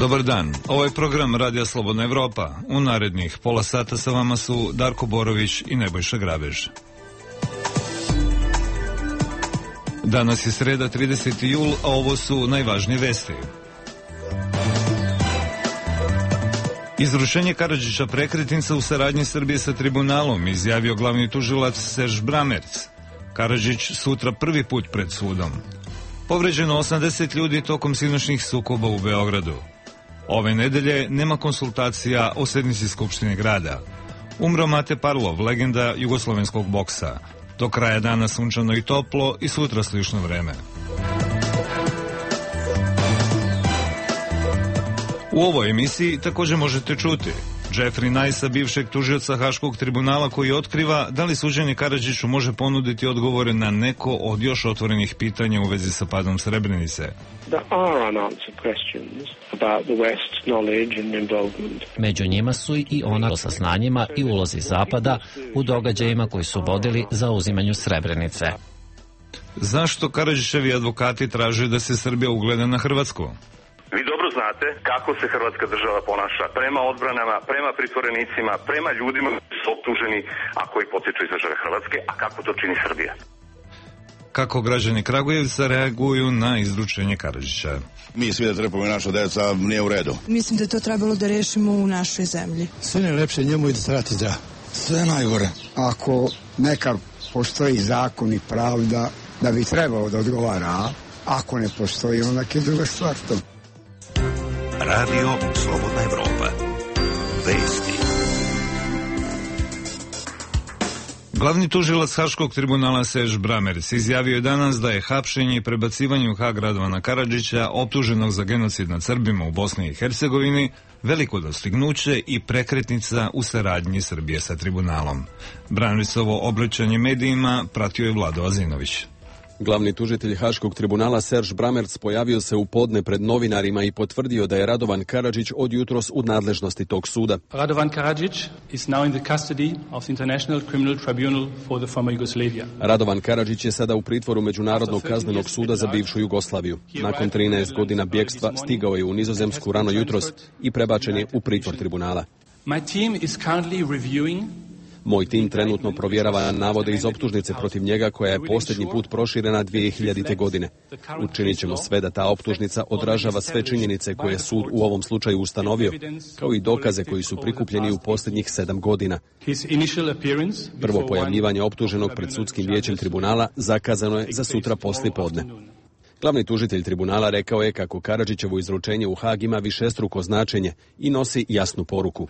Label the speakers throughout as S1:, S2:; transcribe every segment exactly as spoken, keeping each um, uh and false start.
S1: Dobar dan, ovo je program Radija Slobodna Evropa. U narednih pola sata sa vama su Darko Borović i Nebojša Grabež. Danas je sreda, trideseti jul, a ovo su najvažnije vesti. Izručenje Karadžića prekretnica u saradnji Srbije sa tribunalom, izjavio glavni tužilac Serž Bramerc. Karadžić sutra prvi put pred sudom. Povređeno osamdeset ljudi tokom sinoćnih sukoba u Beogradu. Ove nedelje nema konsultacija o sednici Skupštine grada. Umro Mate Parlov, legenda jugoslovenskog boksa. Do kraja dana sunčano i toplo i sutra slično vreme. U ovoj emisiji također možete čuti Jeffrey Nice, bivšeg tužioca Haškog tribunala, koji otkriva da li suđenje Karadžiću može ponuditi odgovore na neko od još otvorenih pitanja u vezi sa padom Srebrenice.
S2: Među njima su i ona o saznanjima i ulozi Zapada u događajima koji su vodili za uzimanju Srebrenice.
S1: Zašto Karadžićevi advokati traže da se Srbija ugleda na Hrvatsku?
S3: Vi dobro znate kako se hrvatska država ponaša prema odbranama, prema pritvorenicima, prema ljudima koji su optuženi, a koji potiču iz države Hrvatske, a kako to čini Srbija.
S1: Kako građani Kragujevca reaguju na izručenje Karadžića?
S4: Mi svi da trpamo naša deca, nije u redu.
S5: Mislim da je to trebalo da rešimo u našoj zemlji.
S6: Sve ne lepše njemu i da se vrati zdrav.
S7: Sve najgore. Ako neka postoji zakon i pravda, da bi trebalo da odgovara, a ako ne postoji, onda je druga stvar to.
S8: Radio Slobodna Evropa. Vesti.
S1: Glavni tužilac Haškog tribunala Serž Bramerc izjavio je danas da je hapšenje i prebacivanje u Hag Radovana Karadžića, optuženog za genocid nad Srbima u Bosni i Hercegovini, veliko dostignuće i prekretnica u saradnji Srbije sa tribunalom. Bramercovo obraćanje medijima pratio je Vlado Azinović.
S9: Glavni tužitelj Haškog tribunala Serž Bramerc pojavio se u podne pred novinarima i potvrdio da je Radovan Karadžić od jutros u nadležnosti tog suda.
S10: Radovan Karadžić is now in the custody of the International Criminal Tribunal for the former Yugoslavia.
S9: Radovan Karadžić je sada u pritvoru Međunarodnog kaznenog suda za bivšu Jugoslaviju. Nakon trinaest godina bjekstva stigao je u Nizozemsku rano jutros i prebačen je u pritvor tribunala.
S10: My team is currently reviewing
S9: Moj tim trenutno provjerava navode iz optužnice protiv njega, koja je posljednji put proširena dvije hiljadite. godine. Učinit ćemo sve da ta optužnica odražava sve činjenice koje je sud u ovom slučaju ustanovio, kao i dokaze koji su prikupljeni u posljednjih sedam godina. Prvo pojavljivanje optuženog pred sudskim vijećem tribunala zakazano je za sutra poslije podne. Glavni tužitelj tribunala rekao je kako Karadžićevo izručenje u Hag ima višestruko značenje i nosi jasnu poruku.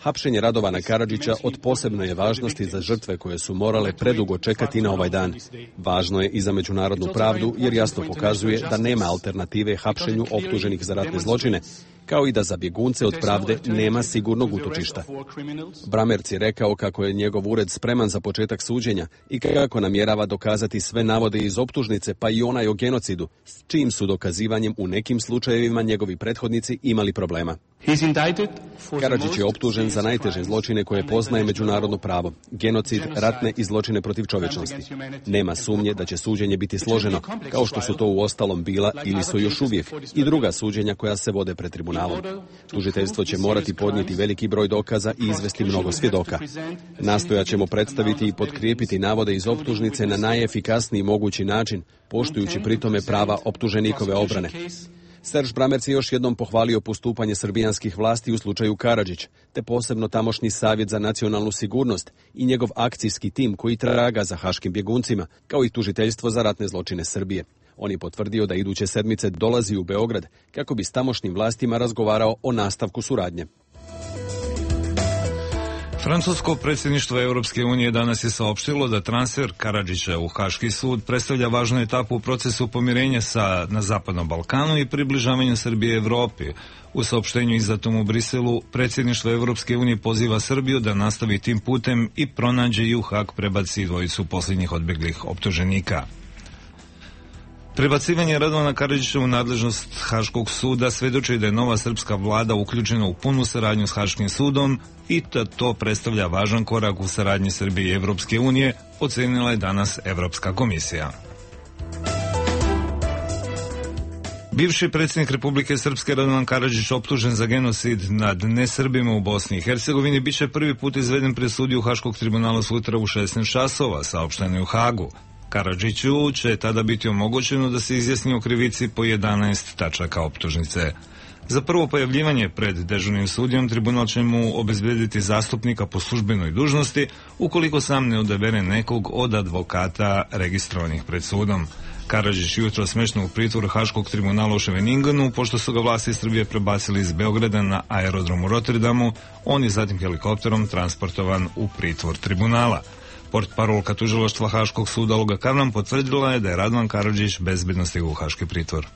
S9: Hapšenje Radovana Karadžića od posebne je važnosti za žrtve koje su morale predugo čekati na ovaj dan. Važno je i za međunarodnu pravdu, jer jasno pokazuje da nema alternative hapšenju optuženih za ratne zločine, kao i da za bjegunce od pravde nema sigurnog utočišta. Bramerc je rekao kako je njegov ured spreman za početak suđenja i kako namjerava dokazati sve navode iz optužnice, pa i onaj o genocidu, s čijim su dokazivanjem u nekim slučajevima njegovi prethodnici imali problema. Karadžić je optužen za najteže zločine koje poznaje međunarodno pravo, genocid, ratne i zločine protiv čovječnosti. Nema sumnje da će suđenje biti složeno, kao što su to uostalom bila ili su još uvijek i druga suđenja koja se vode pred tribunalom. Tužiteljstvo će morati podnijeti veliki broj dokaza i izvesti mnogo svjedoka. Nastojat ćemo predstaviti i potkrijepiti navode iz optužnice na najefikasniji mogući način, poštujući pritome prava optuženikove obrane. Serž Bramerc je još jednom pohvalio postupanje srbijanskih vlasti u slučaju Karadžić, te posebno tamošnji savjet za nacionalnu sigurnost i njegov akcijski tim koji traga za haškim bjeguncima, kao i tužiteljstvo za ratne zločine Srbije. On je potvrdio da iduće sedmice dolazi u Beograd kako bi s tamošnjim vlastima razgovarao o nastavku suradnje.
S1: Francusko predsjedništvo Europske unije danas je saopštilo da transfer Karadžića u Haški sud predstavlja važnu etapu u procesu pomirenja sa, na Zapadnom Balkanu i približavanju Srbije Evropi. U saopštenju izdatom u Briselu, predsjedništvo Europske unije poziva Srbiju da nastavi tim putem i pronađe i u Hag prebaci dvojicu posljednjih odbeglih optuženika. Prebacivanje Radovana Karadžića u nadležnost Haškog suda svedoči da je nova srpska vlada uključena u punu saradnju s Haškim sudom i da to predstavlja važan korak u saradnji Srbije i Evropske unije, ocenila je danas Evropska komisija. Bivši predsjednik Republike Srpske Radovan Karadžić optužen za genocid nad nesrbima u Bosni i Hercegovini biće prvi put izveden pred sudiju Haškog tribunala sutra u šesnaest časova, saopšteno je u Hagu. Karadžiću će tada biti omogućeno da se izjasni o krivici po jedanaest tačaka optužnice. Za prvo pojavljivanje pred dežurnim sudijom tribunal će mu obezbediti zastupnika po službenoj dužnosti ukoliko sam ne odabere nekog od advokata registrovanih pred sudom. Karadžić jutro smešten u pritvoru Haškog tribunala u Ševeningenu, pošto su ga vlasti Srbije prebacili iz Beograda na aerodrom u Rotterdamu, on je zatim helikopterom transportovan u pritvor tribunala. Portparolka tužilaštva Haškog suda Olga Kavran potvrdila je da je Radovan Karadžić bezbedno stigao u Haški pritvor.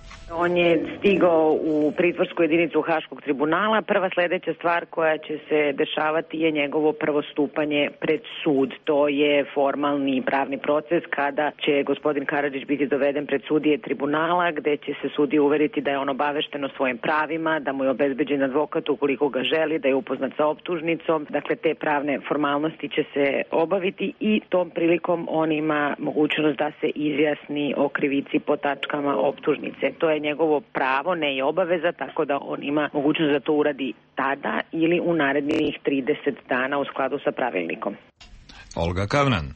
S11: On je stigao u pritvorsku jedinicu Haškog tribunala. Prva sledeća stvar koja će se dešavati je njegovo prvo stupanje pred sud. To je formalni pravni proces kada će gospodin Karadžić biti doveden pred sudije tribunala, gde će se sudije uveriti da je on obavešten o svojim pravima, da mu je obezbeđen advokat ukoliko ga želi, da je upoznat sa optužnicom. Dakle, te pravne formalnosti će se obaviti i tom prilikom on ima mogućnost da se izjasni o krivici po tačkama optužnice. To je njegovo pravo, ne je obaveza, tako da on ima mogućnost da to uradi tada ili u narednih trideset dana u skladu sa pravilnikom.
S1: Olga Kavran.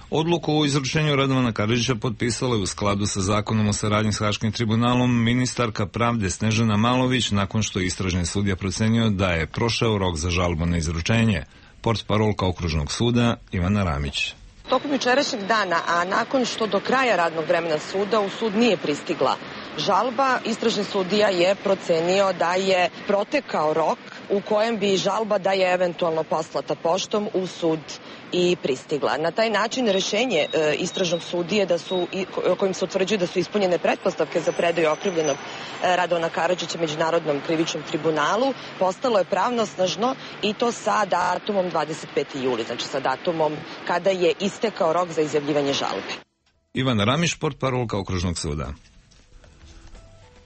S1: Odluku o izručenju Radovana Karadžića potpisala je u skladu sa zakonom o saradnji s Haškim tribunalom ministarka pravde Snežana Malović nakon što je istražni sudija procenio da je prošao rok za žalbu na izručenje. Portparolka okružnog suda Ivana Ramić.
S12: Tokom jučerašnjeg dana, a nakon što do kraja radnog vremena suda u sud nije pristigla žalba, istražni sudija je procenio da je protekao rok u kojem bi žalba da je eventualno poslata poštom u sud i pristigla. Na taj način rešenje e, istražnog sudije da su, i, kojim se utvrđuje da su ispunjene pretpostavke za predaju okrivljenog e, Radovana Karadžića Međunarodnom krivičnom tribunalu postalo je pravnosnažno i to sa datumom dvadeset peti juli, znači sa datumom kada je istekao rok za izjavljivanje žalbe.
S1: Ivana Ramić, portparolka okružnog suda.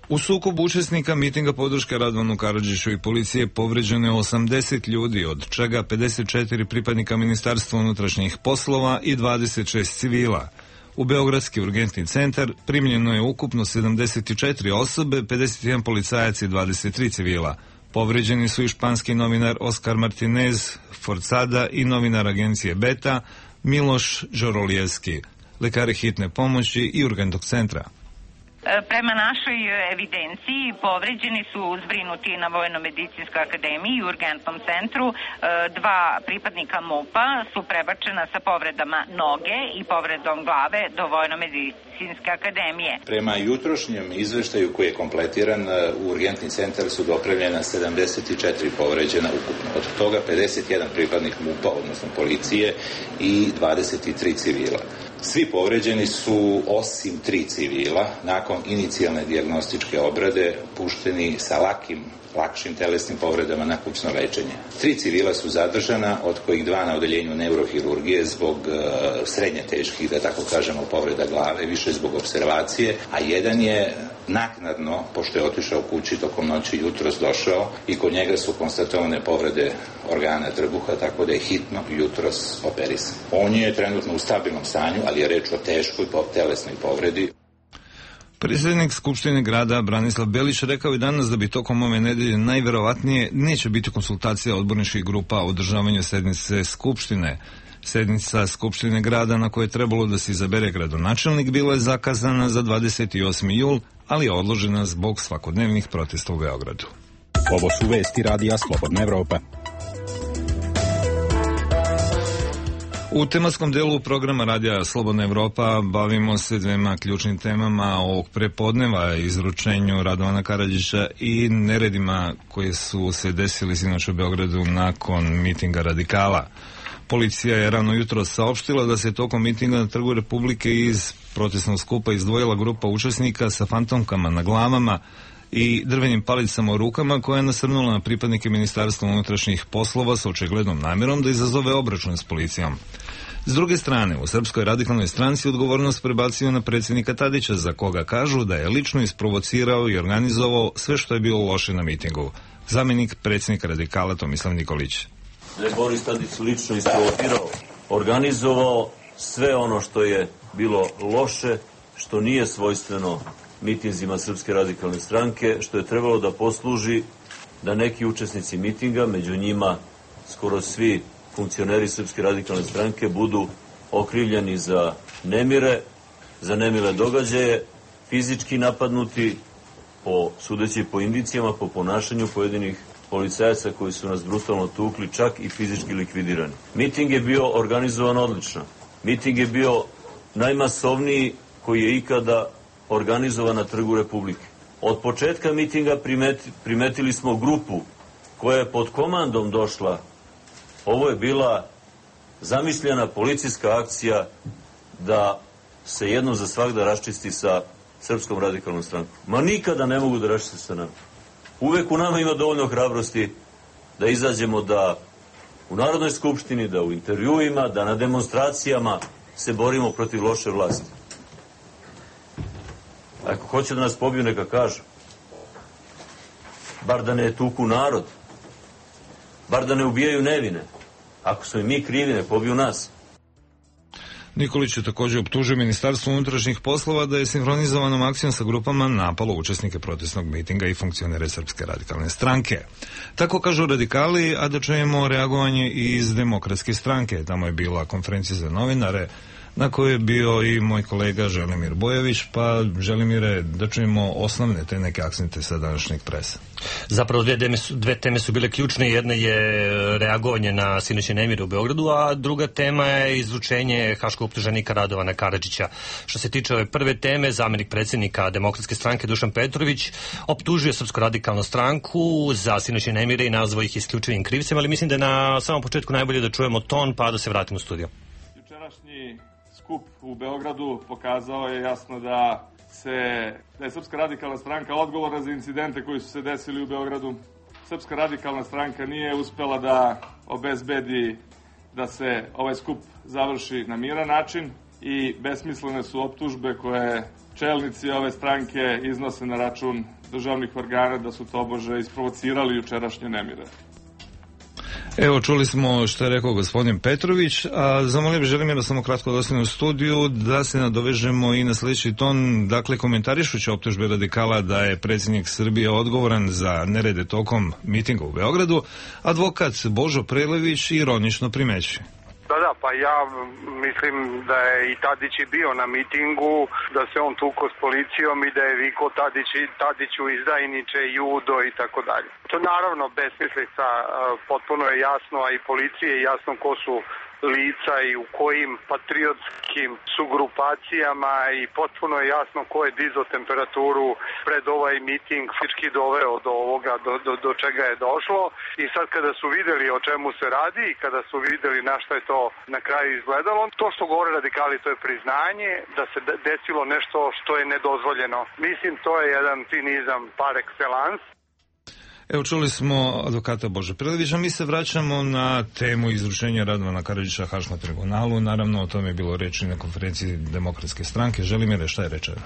S1: U sukobu učesnika mitinga podrške Radovanu Karadžiću i policije povređeno je osamdeset ljudi, od čega pedeset četiri pripadnika Ministarstva unutrašnjih poslova i dvadeset šest civila. U Beogradski urgentni centar primljeno je ukupno sedamdeset četiri osobe, pedeset jedan policajac i dvadeset tri civila. Povređeni su i španski novinar Oskar Martinez Forzada i novinar agencije Beta Miloš Đorolijevski, lekari hitne pomoći i urgentnog centra.
S13: Prema našoj evidenciji povređeni su zbrinuti na Vojno-medicinskoj akademiji i urgentnom centru. Dva pripadnika MUP-a su prebačena sa povredama noge i povredom glave do Vojno-medicinske akademije.
S14: Prema jutrošnjem izveštaju koji je kompletiran, u urgentni centar su dopravljena sedamdeset četiri povređena ukupno. Od toga pedeset jedan pripadnik MUP-a, odnosno policije, i dvadeset tri civila. Svi povređeni su, osim tri civila, nakon inicijalne dijagnostičke obrade pušteni sa lakim, lakšim telesnim povredama na kućno lečenje. Tri civila su zadržana, od kojih dva na odeljenju neurohirurgije zbog uh, srednje teških, da tako kažemo, povreda glave, više zbog observacije, a jedan je naknadno, pošto je otišao kući tokom noći, jutros došao i kod njega su konstatovane povrede organa trbuha, tako da je hitno jutros operisan. On je trenutno u stabilnom stanju, ali je reč o teškoj telesnoj povredi.
S1: Predsjednik Skupštine grada Branislav Belić rekao je danas da bi tokom ove nedelje najverovatnije neće biti konsultacija odborničkih grupa o održavanju sednice Skupštine. Sednica Skupštine grada na kojoj je trebalo da se izabere gradonačelnik bila je zakazana za dvadeset osmi jul, ali je odložena zbog svakodnevnih protesta u Beogradu.
S15: Ovo su vesti Radija Slobodna Evropa.
S1: U tematskom delu programa Radija Slobodna Evropa bavimo se dvema ključnim temama ovog prepodneva, izručenju Radovana Karadžića i neredima koji su se desili sinoć u Beogradu nakon mitinga radikala. Policija je rano jutro saopštila da se tokom mitinga na Trgu Republike iz protestnog skupa izdvojila grupa učesnika sa fantomkama na glavama i drvenim palicama u rukama koja je nasrnula na pripadnike Ministarstva unutrašnjih poslova sa očiglednom namjerom da izazove obračun s policijom. S druge strane, u Srpskoj radikalnoj stranci odgovornost prebacio na predsjednika Tadića, za koga kažu da je lično isprovocirao i organizovao sve što je bilo loše na mitingu. Zamjenik predsjednika radikala Tomislav Nikolić.
S16: Da je Boris Tadić lično isprovocirao, organizovao sve ono što je bilo loše, što nije svojstveno mitinzima Srpske radikalne stranke, što je trebalo da posluži da neki učesnici mitinga, među njima skoro svi funkcioneri Srpske radikalne stranke, budu okrivljeni za nemire, za nemile događaje, fizički napadnuti, po sudeći po indicijama, po ponašanju pojedinih policajaca koji su nas brutalno tukli, čak i fizički likvidirani. Miting je bio organizovan odlično. Miting je bio najmasovniji koji je ikada organizovan na Trgu Republike. Od početka mitinga primeti, primetili smo grupu koja je pod komandom došla. Ovo je bila zamišljena policijska akcija da se jednom za svagda raščisti sa Srpskom radikalnom strankom. Ma nikada ne mogu da raščiste sa nama. Uvek u nama ima dovoljno hrabrosti da izađemo da u Narodnoj skupštini, da u intervjuima, da na demonstracijama se borimo protiv loše vlasti. Ako hoće da nas pobiju, neka kažu. Bar da ne tuku narod. Bar da ne ubijaju nevine. Ako smo i mi krivi, ne pobiju nas.
S1: Nikolić je također optužio Ministarstvo unutrašnjih poslova da je sinhronizovanom akcijom sa grupama napalo učesnike protestnog mitinga i funkcionere Srpske radikalne stranke. Tako kažu radikali, a da čujemo reagovanje iz Demokratske stranke. Tamo je bila konferencija za novinare na kojoj je bio i moj kolega Želimir Bojović, pa Želimire, da čujemo osnovne te neke akcente sa današnjeg presa.
S17: Zapravo dve teme su, dve teme su bile ključne. Jedna je reagovanje na sinoćne nemire u Beogradu, a druga tema je izručenje haškog optuženika Radovana Karadžića. Što se tiče ove prve teme, zamjenik predsjednika Demokratske stranke Dušan Petrović optužuje Srpsku radikalnu stranku za sinoćne nemire i nazvao ih isključivim krivcem, ali mislim da je na samom početku najbolje da čujemo ton, pa da se vratimo u studio.
S18: Jučerašnji skup u Beogradu pokazao je jasno da se da je Srpska radikalna stranka odgovorna za incidente koji su se desili u Beogradu. Srpska radikalna stranka nije uspela da obezbedi da se ovaj skup završi na miran način i besmislene su optužbe koje čelnici ove stranke iznose na račun državnih organa da su tobože isprovocirali jučerašnje nemire.
S1: Evo, čuli smo što je rekao gospodin Petrović, a zamolio bih Želimira samo kratko da ostane u studiju, da se nadovežemo i na sljedeći ton. Dakle, komentarišući optužbe radikala da je predsjednik Srbije odgovoran za nerede tokom mitinga u Beogradu, advokat Božo Prelević ironično primećuje.
S19: Da, da, pa ja mislim da je i Tadić i bio na mitingu, da se on tuko s policijom i da je viko Tadić, Tadiću izdajniče, judo i tako dalje. To naravno besmislica, potpuno je jasno, a i policiji je jasno ko su lica i u kojim patriotskim su grupacijama i potpuno je jasno ko je dizo temperaturu pred ovaj miting, fizički doveo do ovoga, do, do, do čega je došlo. I sad kada su videli o čemu se radi i kada su videli na što je to na kraju izgledalo, to što govore radikali, to je priznanje da se desilo nešto što je nedozvoljeno. Mislim, to je jedan cinizam par excellence.
S1: Evo, čuli smo advokata Bože Prelevića, mi se vraćamo na temu izručenja Radovana Karadžića Haškom tribunalu. Naravno, o tome je bilo reči na konferenciji Demokratske stranke. Želimire, šta je rečeno?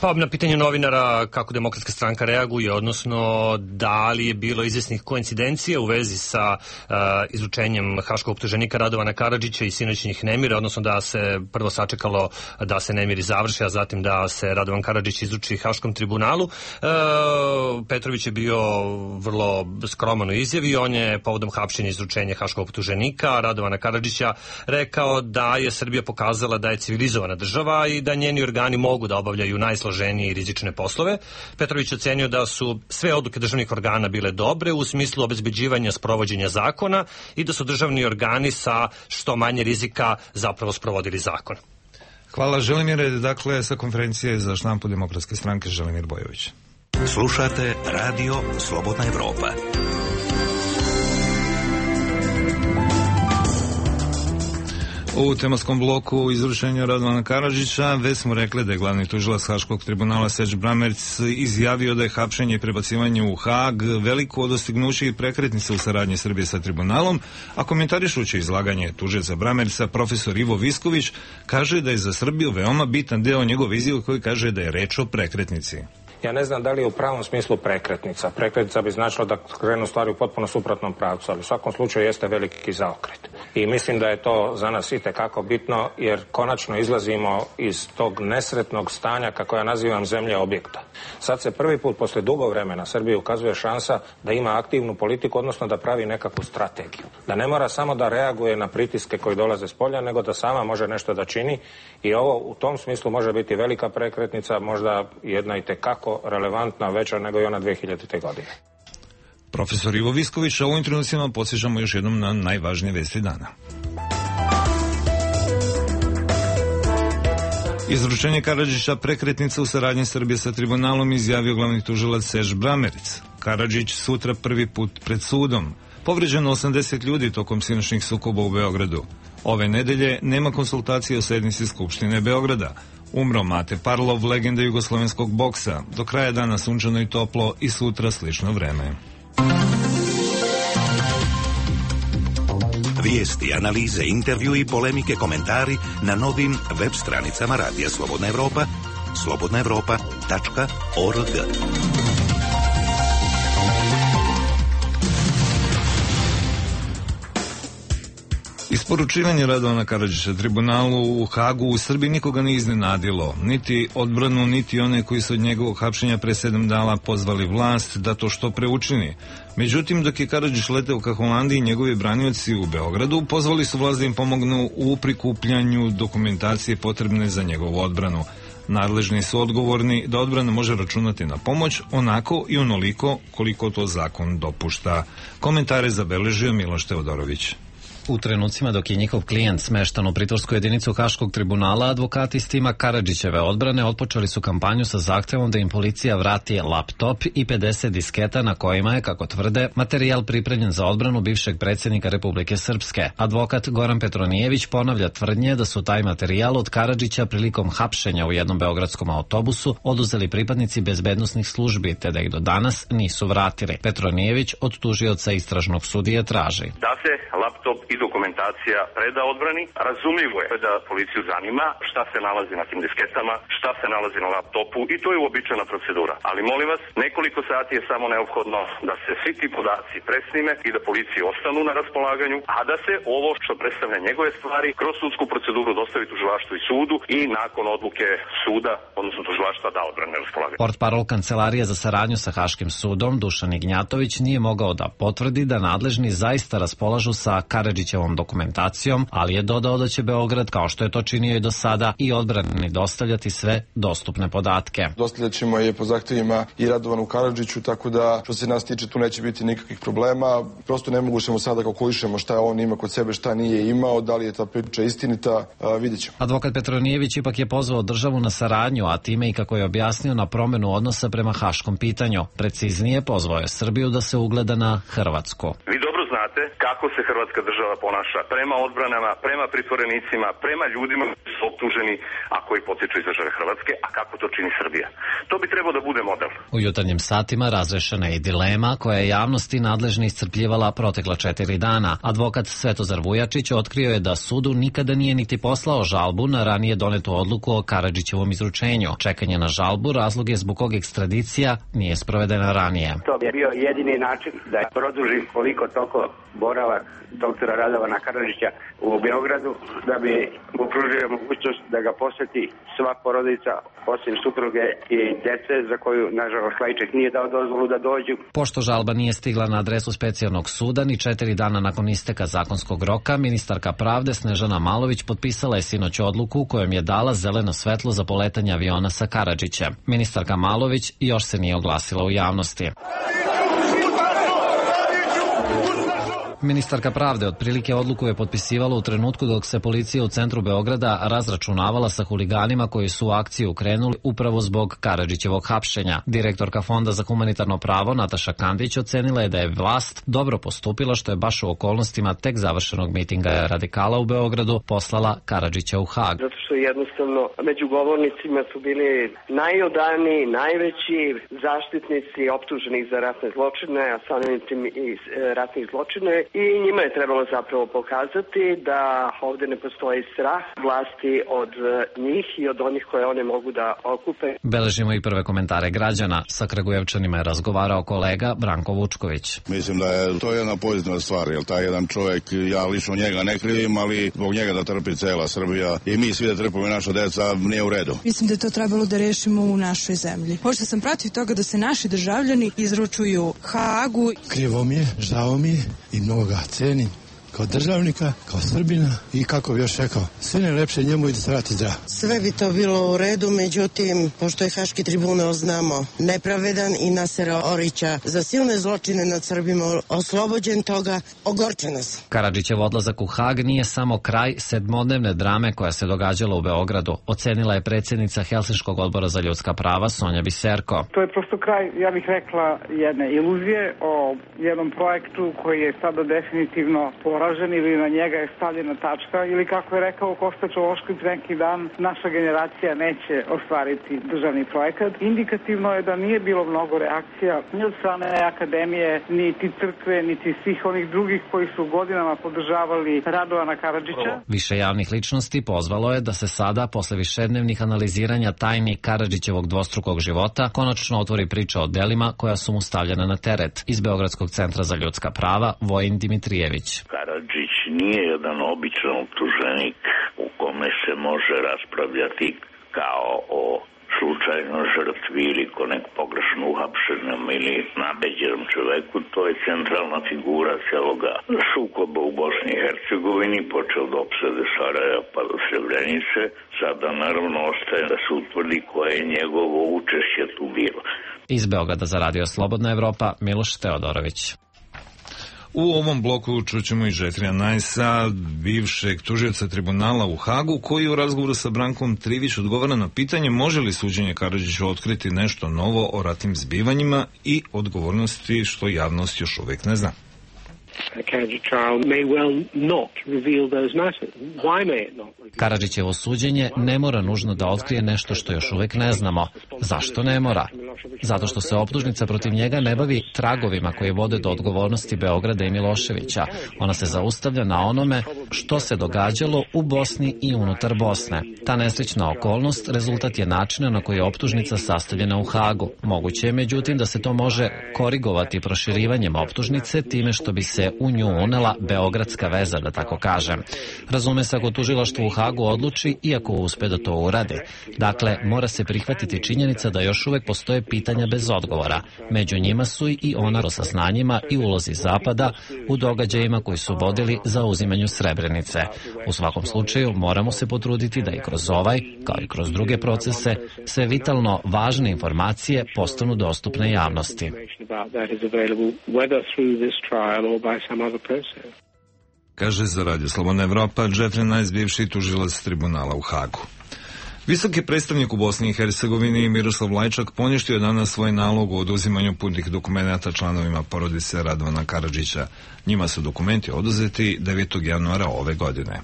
S17: Pa na pitanje novinara kako Demokratska stranka reaguje, odnosno da li je bilo izvjesnih koincidencija u vezi sa uh, izručenjem haškog optuženika Radovana Karadžića i sinoćnih nemira, odnosno da se prvo sačekalo da se nemiri završi, a zatim da se Radovan Karadžić izruči Haškom tribunalu. Uh, Petrović je bio vrlo skroman u izjavi. On je povodom hapšenja izručenja haškog optuženika Radovana Karadžića rekao da je Srbija pokazala da je civilizovana država i da njeni organi mogu da obavljaju najsloženije i rizične poslove. Petrović ocenio da su sve odluke državnih organa bile dobre u smislu obezbeđivanja sprovođenja zakona i da su državni organi sa što manje rizika zapravo sprovodili zakon.
S1: Hvala, Želimire. Dakle, sa konferencije za štampu Demokratske stranke Želimir Bojović.
S8: Slušate Radio Slobodna Evropa.
S1: U tematskom bloku izručenja Radovana Karadžića već smo rekli da je glavni tužilac Haškog tribunala Serge Bramertz izjavio da je hapšenje i prebacivanje u Haag veliko dostignuće i prekretnica u saradnji Srbije sa tribunalom, a komentarišući izlaganje tužioca Bramertza, profesor Ivo Visković kaže da je za Srbiju veoma bitan deo njegove izjave koji kaže da je reč o prekretnici.
S20: ja ne znam da li je u pravom smislu prekretnica. Prekretnica bi značilo da krenu stvari u potpuno suprotnom pravcu, ali u svakom slučaju jeste veliki zaokret. I mislim da je to za nas itekako bitno, jer konačno izlazimo iz tog nesretnog stanja, kako ja nazivam, zemlje objekta. Sad se prvi put posle dugo vremena Srbiji ukazuje šansa da ima aktivnu politiku, odnosno da pravi nekakvu strategiju. Da ne mora samo da reaguje na pritiske koji dolaze s polja, nego da sama može nešto da čini i ovo u tom smislu može biti velika prekretnica, možda jedna i tekako relevantna, veća nego i ona dve hiljadite. godine.
S1: Profesor Ivo Visković, a u ovim trenucima podsjećamo još jednom na najvažnije vesti dana. Izručenje Karadžića prekretnica u saradnji Srbije sa tribunalom, izjavio glavni tužilac Serž Brameric. Karadžić sutra prvi put pred sudom. Povređeno osamdeset ljudi tokom sinoćnih sukoba u Beogradu. Ove nedelje nema konsultacije o sednici Skupštine Beograda. Umro Mate Parlov, legenda jugoslovenskog boksa. Do kraja dana sunčano i toplo i sutra slično vreme.
S8: Vijesti, analize, intervju i polemike, komentari na novim web stranicama Radija Slobodna Evropa, slobodna evropa tačka org.
S1: Isporučivanje Radovana Karadžića tribunalu u Hagu u Srbiji nikoga nije iznenadilo, niti odbranu, niti one koji su od njegovog hapšenja pre sedam dana pozvali vlast da to što pre učini. Međutim, dok je Karadžić leteo ka Holandiji, njegovi branioci u Beogradu pozvali su vlast da im pomognu u prikupljanju dokumentacije potrebne za njegovu odbranu. Nadležni su odgovorni da odbrana može računati na pomoć onako i onoliko koliko to zakon dopušta. Komentare zabeležio Miloš Teodorović.
S2: U trenucima dok je njihov klijent smeštan u pritvorsku jedinicu Haškog tribunala, advokati s tima Karadžićeve odbrane otpočeli su kampanju sa zahtevom da im policija vrati laptop i pedeset disketa na kojima je, kako tvrde, materijal pripremljen za odbranu bivšeg predsjednika Republike Srpske. Advokat Goran Petronijević ponavlja tvrdnje da su taj materijal od Karadžića prilikom hapšenja u jednom beogradskom autobusu oduzeli pripadnici bezbednosnih službi, te da ih do danas nisu vratili. Petronijević od tužioca istražnog sudije traži
S3: da se laptop i dokumentacija preda odbrani. Razumljivo je da policiju zanima šta se nalazi na tim disketama, šta se nalazi na laptopu i to je uobičajena procedura. Ali molim vas, nekoliko sati je samo neophodno da se svi ti podaci presnime i da policiji ostanu na raspolaganju, a da se ovo što predstavlja njegove stvari kroz sudsku proceduru dostavi tužilaštvu i sudu i nakon odluke suda, odnosno tužilaštva, da odbrane raspolaganju.
S2: Portparol Kancelarije za saradnju sa Haškim sudom Dušan Ignjatović nije mogao da potvrdi da nadležni zaista raspolažu sa Karadžićevom dokumentacijom, ali je dodao da će Beograd, kao što je to činio i do sada, i odbrani dostavljati sve dostupne podatke.
S21: Dostavljaćemo je po zahtevima i Radovanu Karadžiću, tako da što se nas tiče tu neće biti nikakvih problema. Prosto ne mogućemo sada kalkulišemo šta on ima kod sebe, šta nije imao, da li je ta priča istinita, vidjet ćemo.
S2: Advokat Petronijević ipak je pozvao državu na saradnju, a time i, kako je objasnio, na promenu odnosa prema haškom pitanju. Preciznije, pozvao je Srbiju da se ugleda na Hrvatsku.
S3: Vi dobro znate kako se Hrvatska država ponaša prema odbranama, prema pritvorenicima, prema ljudima koji su optuženi, a koji potiču iz države Hrvatske, a kako to čini Srbija. To bi trebao da bude model.
S2: U jutarnjim satima razrešena je i dilema koja je javnosti nadležni iscrpljivala protekla četiri dana. Advokat Svetozar Vujačić otkrio je da sudu nikada nije niti poslao žalbu na ranije donetu odluku o Karadžićevom izručenju. Čekanje na žalbu razlog je zbog kog ekstradicija nije sprovedena ranije.
S22: To je bio jedini način da produži koliko toliko boravak doktora Radovana Karadžića u Beogradu, da bi mu pružio mogućnost da ga poseti sva porodica, osim supruge i dece, za koju, nažalost, Klajček nije dao dozvolu da dođu.
S2: Pošto žalba nije stigla na adresu specijalnog suda, ni četiri dana nakon isteka zakonskog roka, ministarka pravde Snežana Malović potpisala je sinoć odluku kojom je dala zeleno svetlo za poletanje aviona sa Karadžićem. Ministarka Malović još se nije oglasila u javnosti. Ministarka pravde otprilike odluku je potpisivala u trenutku dok se policija u centru Beograda razračunavala sa huliganima koji su u akciju krenuli upravo zbog Karadžićevog hapšenja. Direktorka Fonda za humanitarno pravo Nataša Kandić ocenila je da je vlast dobro postupila što je baš u okolnostima tek završenog mitinga radikala u Beogradu poslala Karadžića u Hag.
S22: Zato što jednostavno među govornicima su bili najodaniji, najveći zaštitnici optuženih za ratne zločine, a samim tim i ratnih zločine,
S4: i njima je trebalo zapravo pokazati da ovde ne postoji strah vlasti od njih i od onih koje one mogu da okupe.
S2: Beležimo i prve komentare građana. Sa Kragujevčanima je razgovarao kolega Branko Vučković.
S5: Mislim da je to jedna pozitivna stvar, jer taj jedan čovjek, ja lično njega ne krivim, ali zbog njega da trpi cela Srbija i mi svi da trpimo naša deca, nije u redu.
S23: Mislim da je to trebalo da rešimo u našoj zemlji. Pošto sam protiv toga da se naši državljani izručuju Hagu.
S6: Krivo mi je, žao mi je i mnogo ga cenim kao državnika, kao Srbina i kako bi još rekao, sve najlepše njemu i da se vrati zdrav.
S24: Sve bi to bilo u redu, međutim, pošto je Haški tribunal, znamo, nepravedan i Nasera Orića za silne zločine nad Srbima oslobođen toga, ogorče nas.
S2: Karadžićev odlazak u Hag nije samo kraj sedmodnevne drame koja se događala u Beogradu, ocenila je predsjednica Helsinškog odbora za ljudska prava Sonja Biserko.
S25: To je prosto kraj, ja bih rekla, jedne iluzije o jednom projektu koji je sada definitivno poražen ili na njega je stavljena tačka ili kako je rekao Kosta Čološković neki dan, naša generacija neće ostvariti državni projekat. Indikativno je da nije bilo mnogo reakcija ni od strane akademije, niti crkve, niti svih onih drugih koji su godinama podržavali Radovana Karadžića.
S2: Više javnih ličnosti pozvalo je da se sada, posle višednevnih analiziranja tajni Karadžićevog dvostrukog života, konačno otvori priča o delima koja su mu stavljena na teret. Iz Beogradskog centra za ljudska prava, Vojin Dimitrijević.
S26: Karadžić nije jedan običan optuženik u kome se može raspravljati kao o slučajno žrtvi ili ko nek pogrešno uhapšenom ili nabeđenom čoveku. To je centralna figura celoga sukoba u Bosni i Hercegovini, počeo od opsade Sarajeva pa do Srebrenice. Sada naravno ostaje da se utvrdi koje je njegovo učešće tu bilo.
S2: Iz Beograda za Radio Slobodna Evropa, Miloš Teodorović.
S1: U ovom bloku čućemo i Džefrija Najsa, bivšeg tužioca tribunala u Hagu, koji u razgovoru sa Brankom Trivić odgovara na pitanje može li suđenje Karadžiću otkriti nešto novo o ratnim zbivanjima i odgovornosti što javnost još uvijek ne zna.
S2: Karadžićevo suđenje ne mora nužno da otkrije nešto što još uvijek ne znamo. Zašto ne mora? Zato što se optužnica protiv njega ne bavi tragovima koji vode do odgovornosti Beograda i Miloševića. Ona se zaustavlja na onome što se događalo u Bosni i unutar Bosne. Ta nesrećna okolnost rezultat je načina na koji je optužnica sastavljena u Hagu. Moguće je međutim da se to može korigovati proširivanjem optužnice time što bi se u nju unela beogradska veza, da tako kažem. Razume se ako tužilaštvo u Hagu odluči i ako uspe da to uradi. Dakle, mora se prihvatiti činjenica da još uvek postoje pitanja bez odgovora. Među njima su i ona o saznanjima i ulozi Zapada u događajima koji su vodili za uzimanju Srebrenice. U svakom slučaju moramo se potruditi da i kroz ovaj, kao i kroz druge procese, sve vitalno važne informacije postanu dostupne javnosti.
S1: Kaže za Radio Slobodna Evropa Džefri Najs, bivši tužilac tribunala u Hagu. Visoki predstavnik u Bosni i Hercegovini Miroslav Lajčak poništio je danas svoj nalog o oduzimanju putnih dokumenata članovima porodice Radovana Karadžića. Njima su dokumenti oduzeti devetog januara ove godine.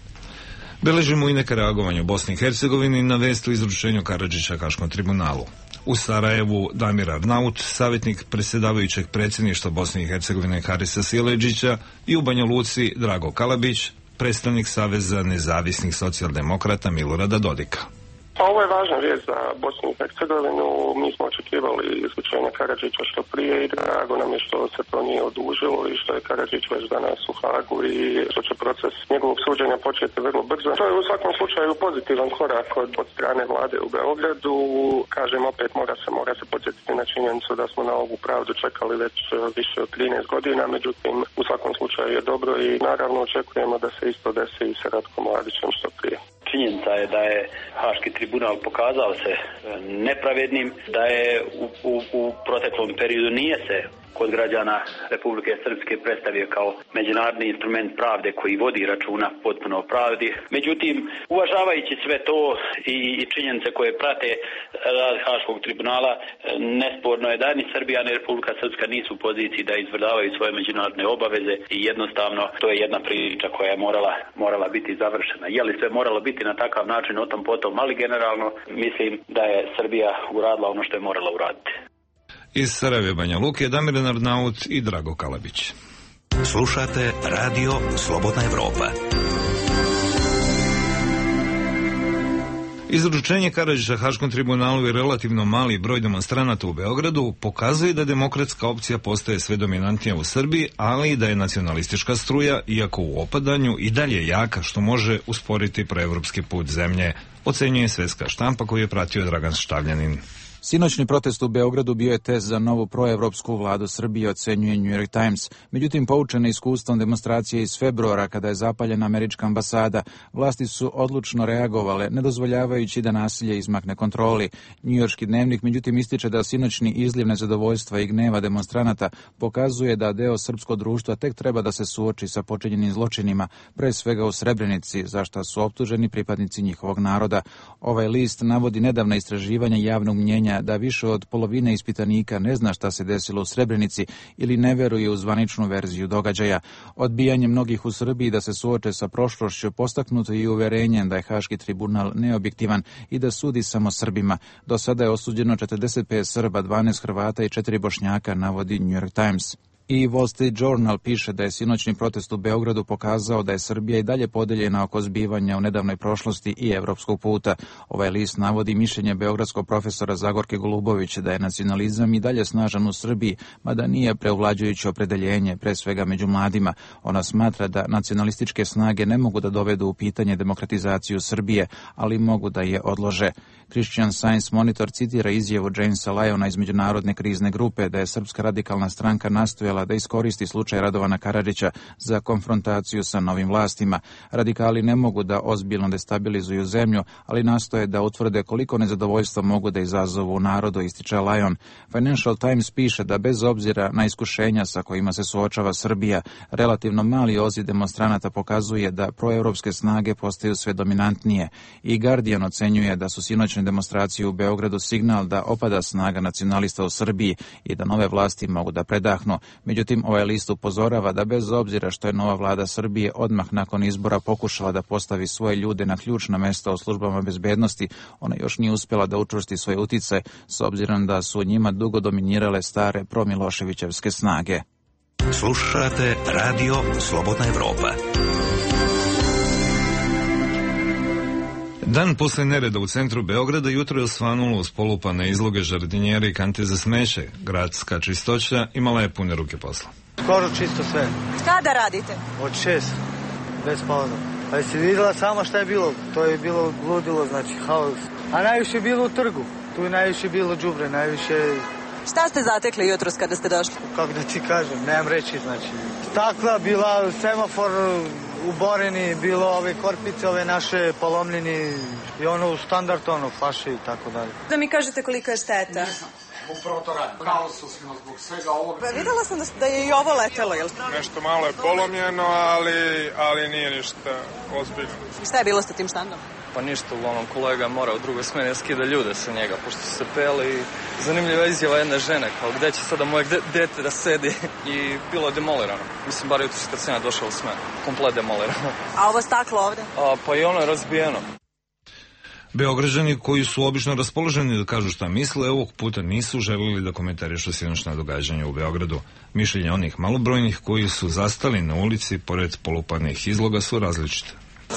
S1: Beležimo i neka reagovanja u Bosni i Hercegovini na vest o izručenju Karadžića Haškom tribunalu. U Sarajevu Damir Arnaut, savjetnik predsjedavajućeg predsjedništva Bosne i Hercegovine Harisa Sileđića, i u Banja Luci Drago Kalabić, predstavnik Saveza nezavisnih socijaldemokrata Milorada Dodika.
S27: Ovo je važna vijest za Bosnu i Hercegovinu. Mi smo očekivali izručenje Karadžića što prije i drago nam je što se to nije odužilo i što je Karadžić već danas u Hagu i što će proces njegovog suđenja početi vrlo brzo. To je u svakom slučaju pozitivan korak od, od strane vlade u Beogradu. Kažem, opet mora se, mora se podsjetiti na činjenicu da smo na ovu pravdu čekali već više od trinaest godina, međutim u svakom slučaju je dobro i naravno očekujemo da se isto desi i sa Ratkom Mladićem što prije.
S28: Činjenica je da je Haški tribunal pokazao se nepravednim, da je u, u, u proteklom periodu nije se kod građana Republike Srpske predstavio kao međunarodni instrument pravde koji vodi računa potpuno o pravdi. Međutim, uvažavajući sve to i, i činjenice koje prate rad Haškog tribunala, nesporno je da ni Srbija ni Republika Srpska nisu u poziciji da izvršavaju svoje međunarodne obaveze i jednostavno to je jedna priča koja je morala, morala biti završena. Je li sve moralo biti na takav način o tom potom, ali generalno mislim da je Srbija uradila ono što je morala uraditi.
S1: Iz Sarajeva Banja Luke Damir Arnaut i Drago Kalabić.
S8: Slušate Radio Slobodna Evropa.
S1: Izručenje Karadžića Haškom tribunalu i relativno mali broj demonstranata u Beogradu pokazuje da demokratska opcija postaje sve dominantnija u Srbiji, ali i da je nacionalistička struja, iako u opadanju, i dalje jaka, što može usporiti proevropski put zemlje, ocenjuje Svetska štampa koju je pratio Dragan Štavljanin.
S7: Sinoćni protest u Beogradu bio je test za novu proevropsku vladu Srbije, ocenjuje New York Times. Međutim, poučene iskustvom demonstracije iz februara, kada je zapaljena američka ambasada, vlasti su odlučno reagovale, ne dozvoljavajući da nasilje izmakne kontroli. Njujorški dnevnik, međutim, ističe da sinoćni izliv nezadovoljstva i gneva demonstranata pokazuje da deo srpskog društva tek treba da se suoči sa počinjenim zločinima, pre svega u Srebrenici, za šta su optuženi pripadnici njihovog naroda. Ovaj list navodi nedavna istraživanja javnog mnjenja da više od polovine ispitanika ne zna šta se desilo u Srebrenici ili ne veruje u zvaničnu verziju događaja. Odbijanje mnogih u Srbiji da se suoče sa prošlošću postaknuto i uverenjem da je Haški tribunal neobjektivan i da sudi samo Srbima. Do sada je osuđeno četrdeset pet Srba, dvanaest Hrvata i četiri Bošnjaka, navodi New York Times. I Wall Street Journal piše da je sinoćni protest u Beogradu pokazao da je Srbija i dalje podeljena oko zbivanja u nedavnoj prošlosti i evropskog puta. Ovaj list navodi mišljenje beogradskog profesora Zagorke Golubović da je nacionalizam i dalje snažan u Srbiji, mada nije preuvlađujuće opredeljenje, pre svega među mladima. Ona smatra da nacionalističke snage ne mogu da dovedu u pitanje demokratizaciju Srbije, ali mogu da je odlože. Christian Science Monitor citira izjavu Jamesa Lyona iz Međunarodne krizne grupe da je Srpska radikalna stranka nastojala da iskoristi slučaj Radovana Karadžića za konfrontaciju sa novim vlastima. Radikali ne mogu da ozbiljno destabilizuju zemlju, ali nastoje da utvrde koliko nezadovoljstva mogu da izazovu u narodu, ističe Lyon. Financial Times piše da bez obzira na iskušenja sa kojima se suočava Srbija, relativno mali odziv demonstranata pokazuje da proevropske snage postaju sve dominantnije. I Guardian ocenjuje da su sinoćne demonstracije u Beogradu signal da opada snaga nacionalista u Srbiji i da nove vlasti mogu da predahnu. Međutim, ovaj list upozorava da bez obzira što je nova vlada Srbije odmah nakon izbora pokušala da postavi svoje ljude na ključna mesta u službama bezbednosti, ona još nije uspjela da učvrsti svoje uticaje, s obzirom da su njima dugo dominirale stare promiloševićevske snage.
S8: Slušate Radio Slobodna Evropa.
S1: Dan posle nereda u centru Beograda jutro je osvanulo uz polupane izloge, žardinjere i kante za smeće. Gradska čistoća imala je pune ruke posla.
S9: Skoro čisto sve.
S10: Kada radite?
S9: Od šest, bez pauza. Pa jesi vidjela samo šta je bilo? To je bilo ludilo, znači haos. A najviše je bilo u trgu. Tu je najviše bilo đubre, najviše...
S10: Šta ste zatekli jutros kada ste došli?
S9: Kako da ti kažem, nemam reći, znači. Stakla, bila semafor uboreni, bilo ove korpice, ove naše polomljeni i ono u standard, ono, flaše i tako dalje.
S10: Da mi kažete kolika je šteta?
S11: Upravo to radim. Kaosu smo zbog svega ovoga.
S10: Pa videla sam da, da je i ovo letelo, jel?
S11: Nešto malo je polomljeno, ali, ali nije ništa ozbiljno.
S10: Šta je bilo sa tim štandom?
S11: Pa ništa, uglavnom kolega mora u drugoj smeni skida ljude sa njega, pošto su se peli. Zanimljiva izjava jedne žene, kao gde će sada moje dete da sedi, i bilo je demolirano. Mislim, bar jutros kad sam ja došao u smenu, komplet demolirano.
S10: A ovo staklo ovde?
S11: A, pa i ono je razbijeno.
S1: Beograđani koji su obično raspoloženi da kažu šta misle, ovog puta nisu želili da komentarišu sinoćna događanja u Beogradu. Mišljenja onih malobrojnih koji su zastali na ulici pored polupanih izloga su različite.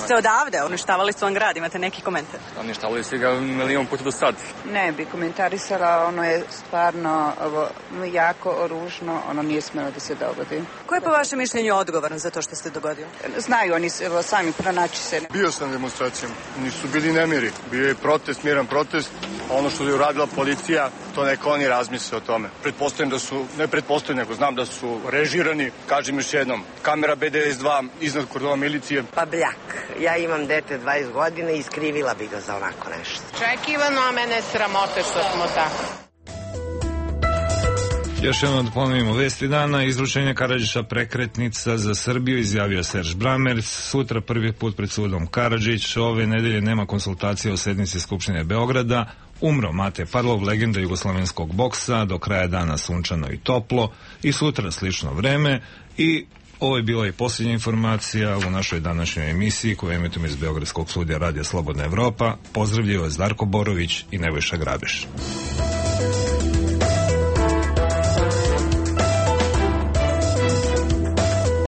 S10: Ste odavde, uništavali su vam grad, imate neki komentar?
S11: Uništavali su ga milion puta do sad.
S12: Ne bi komentarisala, ono je stvarno ovo, jako ružno, ono nije smelo da se dogodi.
S10: Ko je po vašem mišljenju odgovoran za to što se dogodio?
S12: Znaju oni evo, sami pronaći se.
S13: Bio sam demonstracijom, nisu bili nemiri, bio je protest, miran protest, ono što je uradila policija, to neka oni razmisle o tome. Pretpostavljam da su, ne pretpostavljam, nego znam da su režirani, kažem još jednom, kamera be de es dva iznad kordona milicije.
S14: Pa bljak. Ja imam dete dvadeset godina i iskrivila bi ga za onako nešto.
S15: Čekivano, a mene sramote što smo tako.
S1: Još jednom da ponovimo vesti dana. Izručenje Karadžića prekretnica za Srbiju, izjavio Serž Bramerc. Sutra prvi put pred sudom Karadžić. Ove nedelje nema konsultacija o sednici Skupštine Beograda. Umro Mate Parlov, legenda jugoslovenskog boksa. Do kraja dana sunčano i toplo. I sutra slično vreme. I ovo je bila i posljednja informacija u našoj današnjoj emisiji koju emitujemo iz Beogradskog studija Radija Slobodna Evropa. Pozdravljaju vas Darko Borović i Nebojša Grabeš.